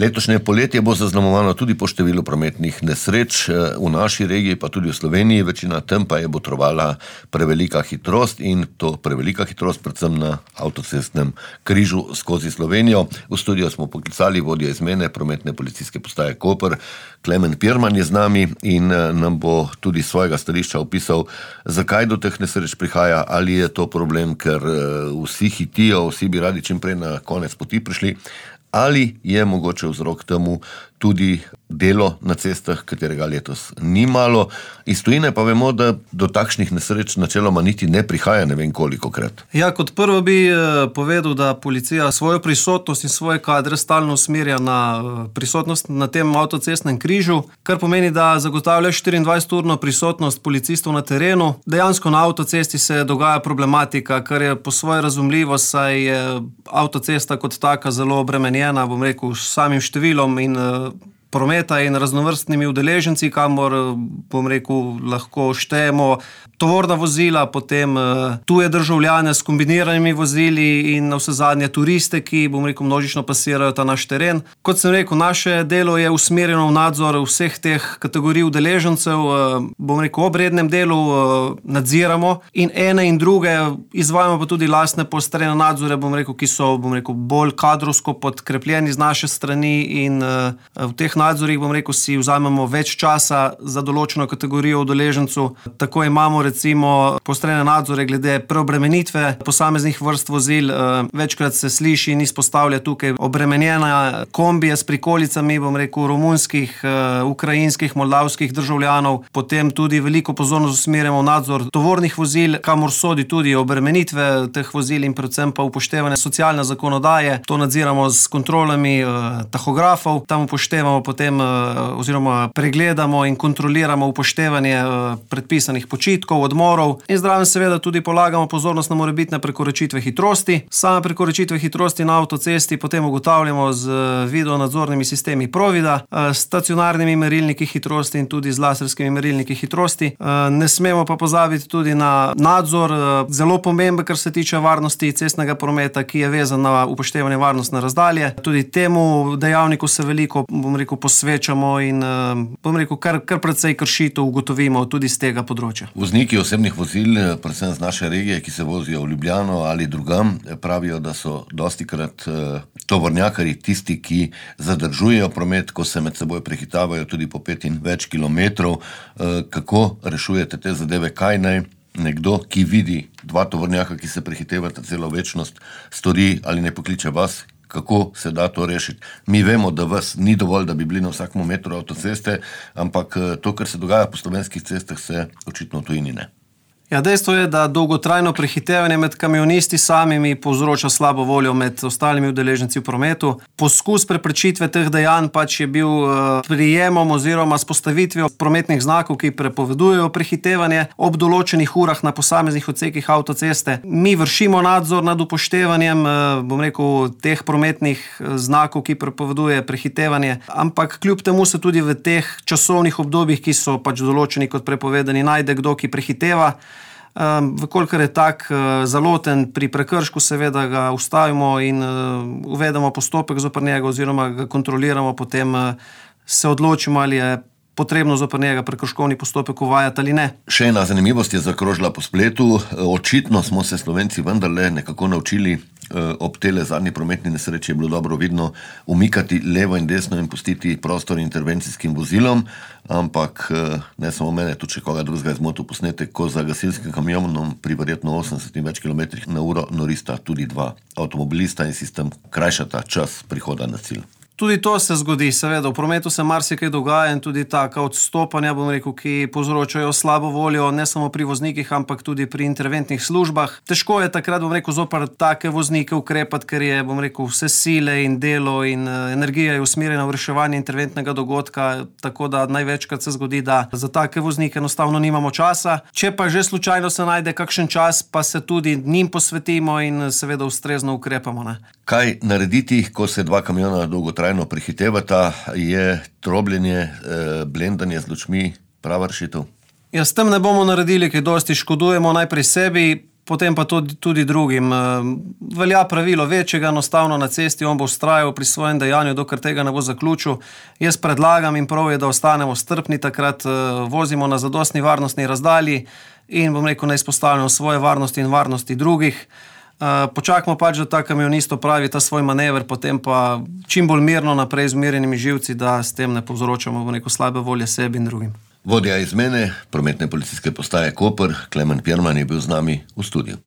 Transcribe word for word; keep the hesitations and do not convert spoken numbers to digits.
Letošnje poletje bo zaznamovano tudi po številu prometnih nesreč v naši regiji, pa tudi v Sloveniji. Večina tem pa je botrovala prevelika hitrost in to prevelika hitrost predvsem na avtocestnem križu skozi Slovenijo. V studio smo poklicali vodjo izmene prometne policijske postaje Koper. Klemen Pirman je z nami in nam bo tudi svojega stališča opisal, zakaj do teh nesreč prihaja, ali je to problem, ker vsi hitijo, vsi bi radi čim prej na konec poti prišli, ali je mogoče vzrok temu tudi delo na cestah, katerega letos ni malo. Iz tujine pa vemo, da do takšnih nesreč načeloma niti ne prihaja ne vem kolikokrat. Ja, kot prvo bi povedal, da policija svojo prisotnost in svoje kadre stalno usmerja na prisotnost na tem avtocestnem križu, kar pomeni, da zagotavlja štiriindvajseturno prisotnost policistov na terenu. Dejansko na avtocesti se dogaja problematika, kar je po svoje razumljivo, saj je avtocesta kot taka zelo obremenjena, bom rekel, s samim številom in prometa in raznovrstnimi udeleženci, kamor, bom rekel, lahko štejemo tovorna vozila, potem tuje državljane s kombiniranimi vozili in navsezadnje turiste, ki, bom rekel, množično pasirajo ta naš teren. Kot sem rekel, naše delo je usmerjeno v nadzor vseh teh kategorij udeležencev, bom rekel, ob rednem delu nadziramo in ene in druge izvajamo pa tudi lastne poostrene nadzore, bom rekel, ki so, bom rekel, bolj kadrovsko podkrepljeni z naše strani in v teh nadzorih, bom rekel, si vzamemo več časa za določeno kategorijo udeležencev. Tako imamo recimo poostrene nadzore glede preobremenitve posameznih vrst vozil. Večkrat se sliši in izpostavlja tukaj obremenjena kombije s prikolicami, bom rekel, romunskih, ukrajinskih, moldavskih državljanov. Potem tudi veliko pozornost usmerjamo v nadzor tovornih vozil, kamor sodi tudi obremenitve teh vozil in predvsem pa upoštevanje socialne zakonodaje. To nadziramo s kontrolami tahografov, tam upoštevamo potem oziroma pregledamo in kontroliramo upoštevanje predpisanih počitkov, odmorov in zraven seveda tudi polagamo pozornost na morebitne prekoračitve hitrosti. Same prekoračitve hitrosti na avtocesti potem ugotavljamo z videonadzornimi sistemi Provida, s stacionarnimi merilniki hitrosti in tudi z laserskimi merilniki hitrosti. Ne smemo pa pozabiti tudi na nadzor, zelo pomemben, kar se tiče varnosti cestnega prometa, ki je vezan na upoštevanje varnostne razdalje. Tudi temu dejavniku se veliko, bom rekel, posvečamo in bom rekel, kar, kar precej kršitev ugotovimo tudi z tega področja. Vozniki osebnih vozil, predvsem z naše regije, ki se vozijo v Ljubljano ali drugam, pravijo, da so dostikrat tovornjakarji tisti, ki zadržujejo promet, ko se med seboj prehitavajo tudi po pet in več kilometrov. Kako rešujete te zadeve? Kaj naj nekdo, ki vidi dva tovornjaka, ki se prehitevata celo večnost, stori ali ne pokliče vas? Kako se da to rešiti? Mi vemo, da vas ni dovolj, da bi bili na vsakem metru avtoceste, ampak to, kar se dogaja po slovenskih cestah, se očitno v tujini ne. Ja, dejstvo je, da dolgotrajno prehitevanje med kamionisti samimi povzroča slabo voljo med ostalimi udeleženci v prometu. Poskus preprečitve teh dejanj pač je bil prijemom oziroma s postavitvijo prometnih znakov, ki prepovedujejo prehitevanje ob določenih urah na posameznih odsekih avtoceste. Mi vršimo nadzor nad upoštevanjem, bom rekel, teh prometnih znakov, ki prepoveduje prehitevanje, ampak kljub temu se tudi v teh časovnih obdobjih, ki so pač določeni kot prepovedani, najde kdo, ki prehiteva. Vkolikor je tak zaloten pri prekršku, seveda ga ustavimo in uvedemo postopek zoper njega oziroma ga kontroliramo, potem se odločimo, ali je potrebno zoper njega prekrškovni postopek uvajati ali ne. Še ena zanimivost je zakrožila po spletu. Očitno smo se Slovenci vendarle nekako naučili ob tele zadnji prometni nesreči, je bilo dobro vidno umikati levo in desno in pustiti prostor intervencijskim vozilom, ampak ne samo mene, tudi če koga drugega je zmotil posnetek, ko za gasilskim kamionom pri verjetno osemdeset in več kilometrih na uro norista tudi dva avtomobilista in sistem krajšata čas prihoda na cilj. Tudi to se zgodi, seveda, v prometu se marsikaj dogaja in tudi taka odstopanja, bom rekel, ki povzročajo slabo voljo, ne samo pri voznikih, ampak tudi pri interventnih službah. Težko je takrat, bom rekel, zoper take voznike ukrepati, ker je, bom rekel, vse sile in delo in energija je usmerjena v reševanje interventnega dogodka, tako da največkrat se zgodi, da za take voznike enostavno nimamo časa. Če pa že slučajno se najde kakšen čas, pa se tudi njim posvetimo in seveda ustrezno ukrepamo, ne. Kaj narediti, ko se dva kamiona dolgotrajno prehitevata? Je trobljenje, blendanje z lučmi prava rešitev? Ja, s tem ne bomo naredili, kaj dosti škodujemo najprej sebi, potem pa tudi, tudi drugim. Velja pravilo večjega, enostavno na cesti, on bo vztrajal pri svojem dejanju, dokler tega ne bo zaključil. Jaz predlagam in prav je, da ostanemo strpni, takrat vozimo na zadostni varnostni razdalji in bom rekel, ne izpostavljamo svoje varnosti in varnosti drugih. Počakamo pač, da ta kamionist opravi ta svoj manever, potem pa čim bolj mirno naprej z umirjenimi živci, da s tem ne povzročamo bom rekel, slabe volje sebi in drugim. Vodja izmene prometne policijske postaje Koper, Klemen Pirman, je bil z nami v studiu.